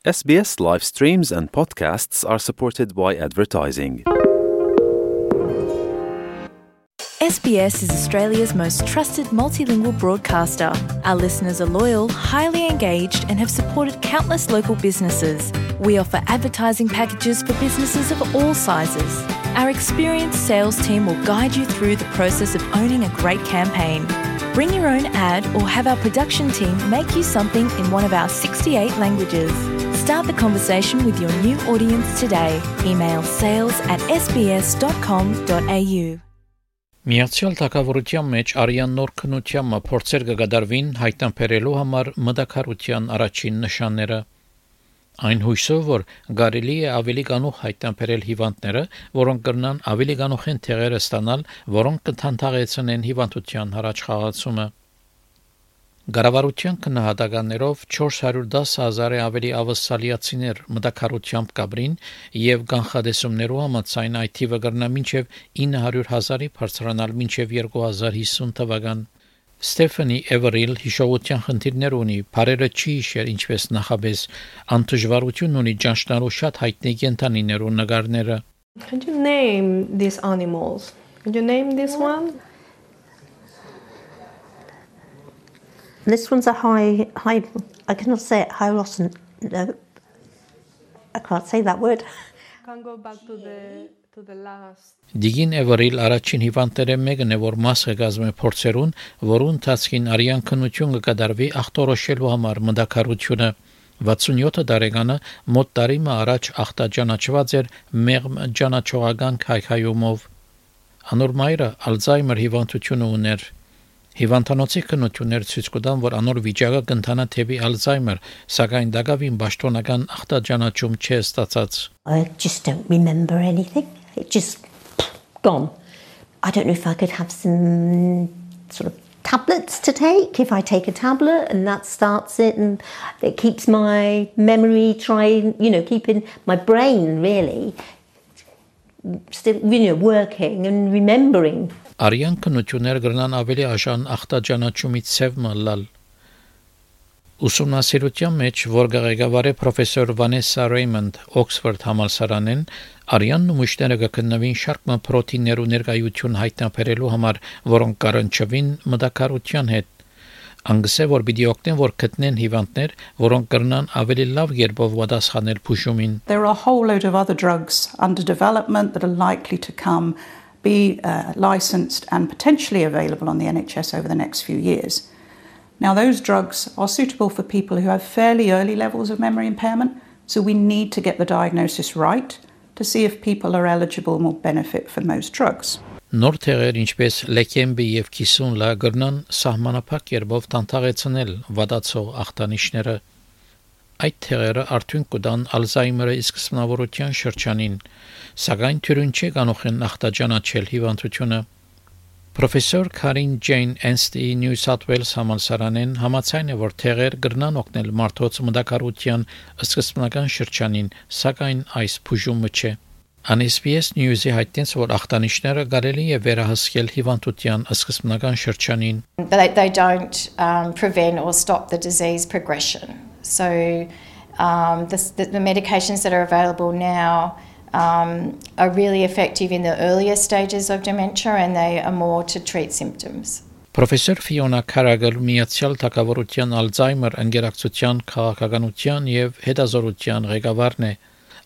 SBS live streams and podcasts are supported by advertising. SBS is Australia's most trusted multilingual broadcaster. Our listeners are loyal, highly engaged, and have supported countless local businesses. We offer advertising packages for businesses of all sizes. Our experienced sales team will guide you through the process of owning a great campaign. Bring your own ad or have our production team make you something in one of our 68 languages. Start the conversation with your new audience today. Email sales@sbs.com.au. Միացյալ Թագավորության մեջ արյան նոր քննությամբ փորձեր կգադարվին հայտնաբերելու համար մտակարության առաջին նշանները։ Այն հույսով, որ կարելի է ավելի կանուխ հայտնաբերել հիվանդները, որոնք կրնան ավելի կանուխ են տեղերը ստանալ, որոնք կթանթաղեցնեն հիվանդության առաջ խաղացումը։ Գարավարության քննադատականներով 410,000-ը ավելի ավասալիացիներ մտակարությամբ կաբրին եւ կանխադեսումներու համաձայն այդ թիվը կրնա մինչեւ 900,000-ի բարձրանալ մինչեւ 2050 թվական։ Ստեֆանի Էվերիլ հիշողության խնդիրներ ունի, բարերը չի հիշեր ինչպես նախաբես, անտժվարություն ունի ճանչնալու շատ հայտնի կենդանիներու նկարները։ Can you name these animals? Can you name this one? This one's a high, I cannot say it, Hylosin, no, I can't say that word. Can go back to the last. Դիգին Էվերիլ առաջին հիվանդները մեկն է, որ մաս է կազմում փորձերուն, որուն ընթացքին արյան քննություն կկատարվի ախտորոշելու համար մտակարությունը։ 67 տարեկանը մոտ տարի առաջ ախտաճանաչված էր մեղմ ճանաչողական քայքայումով։ Անոր մայրը Ալցհեյմեր հիվանդությունը ուներ։ Հիվանդանոցի քննություններ ցույց կտան, որ անոր վիճակը կընթանա թեպի Ալցհեյմեր, սակայն դակավին պաշտոնական ախտաճանաչում չէ ստացած։ I just don't remember anything. It just gone. I don't know if I could have some sort of tablets to take. If I take a tablet and that starts it and it keeps my memory keeping my brain really still, working and remembering. Արյան քննություններ կրնան ավելի աշան ախտաճանաչումից ցև մալալ։ Ուսումնասիրության մեջ, որ ղեկավար է պրոֆեսոր Վանեսա Ռեյմոնդ Օքսֆորդ համալսարանեն, արյան նմուշները կգտնվին շարք պրոտիններու ներկայություն հայտնաբերելու համար, որոնք կառնչվին մտակարության հետ։ Անգսե որ պիտի օգնեն, որ գտնեն հիվանդներ, որոնք կրնան ավելի լավ երբով պատասխանել բուժումին։ There are a whole load of other drugs under development that are likely to be licensed and potentially available on the NHS over the next few years. Now, those drugs are suitable for people who have fairly early levels of memory impairment, so we need to get the diagnosis right to see if people are eligible and will benefit from those drugs. Նոր թերեր ինչպես լեքեմբի եւ կիսունլա կրնան սահմանափակ երբով տանտաղեցնել վատացող ախտանիշները։ Այդ թերերը արդյունք կտան Ալցհեյմերի սկզբնավորության շրջանին, սակայն թյուրին չի կանող են ախտաճանաչել հիվանդությունը։ Պրոֆեսոր Քարին Ջեյն Էնստի Նյու Սաթ Ուելս համալսարանեն համաձայն է, որ թերեր կրնան օգնել մարդոց մտակարության սկզբնական շրջանին, սակայն այս բուժումը չէ։ SBS News-ի հայտնեց, որ ախտանիշները կարելի է վերահսկել հիվանդության սկզբնական շրջանին։ They don't prevent or stop the disease progression. So the medications that are available now are really effective in the earlier stages of dementia and they are more to treat symptoms. Պրոֆեսոր Ֆիոնա Քարագլ Միացյալ Թագավորության Ալցհեյմեր ընկերակցության քաղաքականության եւ հետազոտության ղեկավարն է։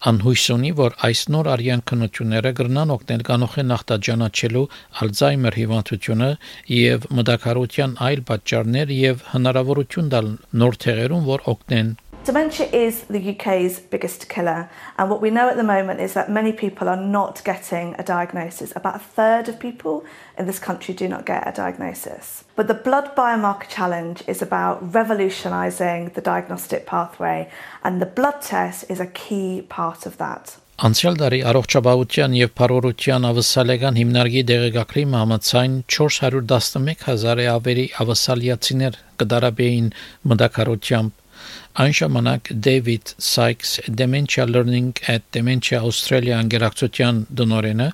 Անհույս ունի, որ այս նոր արյան քննությունները կրնան օգնել կանոխեն ախտաճանաչելու Ալցհեյմեր հիվանդությունը եւ մտակարության այլ պատճառներ եւ հնարավորություն տալ նոր թերերուն, որ օգնեն։ Dementia is the UK's biggest killer, and what we know at the moment is that many people are not getting a diagnosis. About a third of people in this country do not get a diagnosis. But the Blood Biomarker Challenge is about revolutionising the diagnostic pathway, and the blood test is a key part of that. Անցյալ տարի առողջապահության եւ բարօրության ավասալական հիմնարկի դեղեկագրի համաձայն 411,000-ը ավելի ավասալիացիներ կդարաբեին մտակարությամբ, Այն ժամանակ David Sykes Dementia Learning at Dementia Australia անգերակցության դնորենը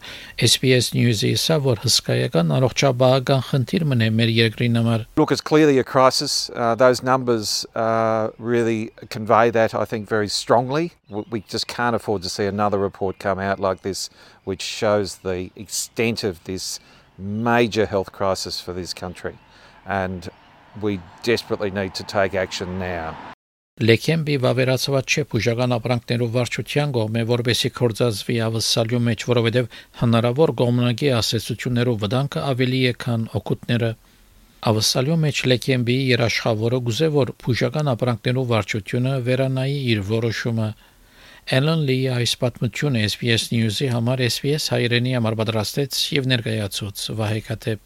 SBS News-ի ասա, որ հսկայական առողջապահական խնդիր մնե մեր երկրի համար. Look, it's clearly a crisis. Those numbers really convey that, I think, very strongly. We just can't afford to see another report come out like this, which shows the extent of this major health crisis for this country. And we desperately need to take action now. Լեքեմբի վավերացված չէ բուժական ապրանքներով վարչության կողմէ, որովհետեւ կորցածվի ավսալյու մեջ, որովհետեւ հնարավոր գոմնագի ասացություններով վտանգը ավելի է, քան օգուտները։ Ավսալյու մեջ Լեքեմբի երաշխավորը գուզե, որ բուժական ապրանքներով վարչությունը վերանայի իր որոշումը։ Alan Lee այս պատմությունը SBS News-ի համար SBS հայրենի համար պատրաստեց եւ ներկայացուց Վահե Քաթեփ։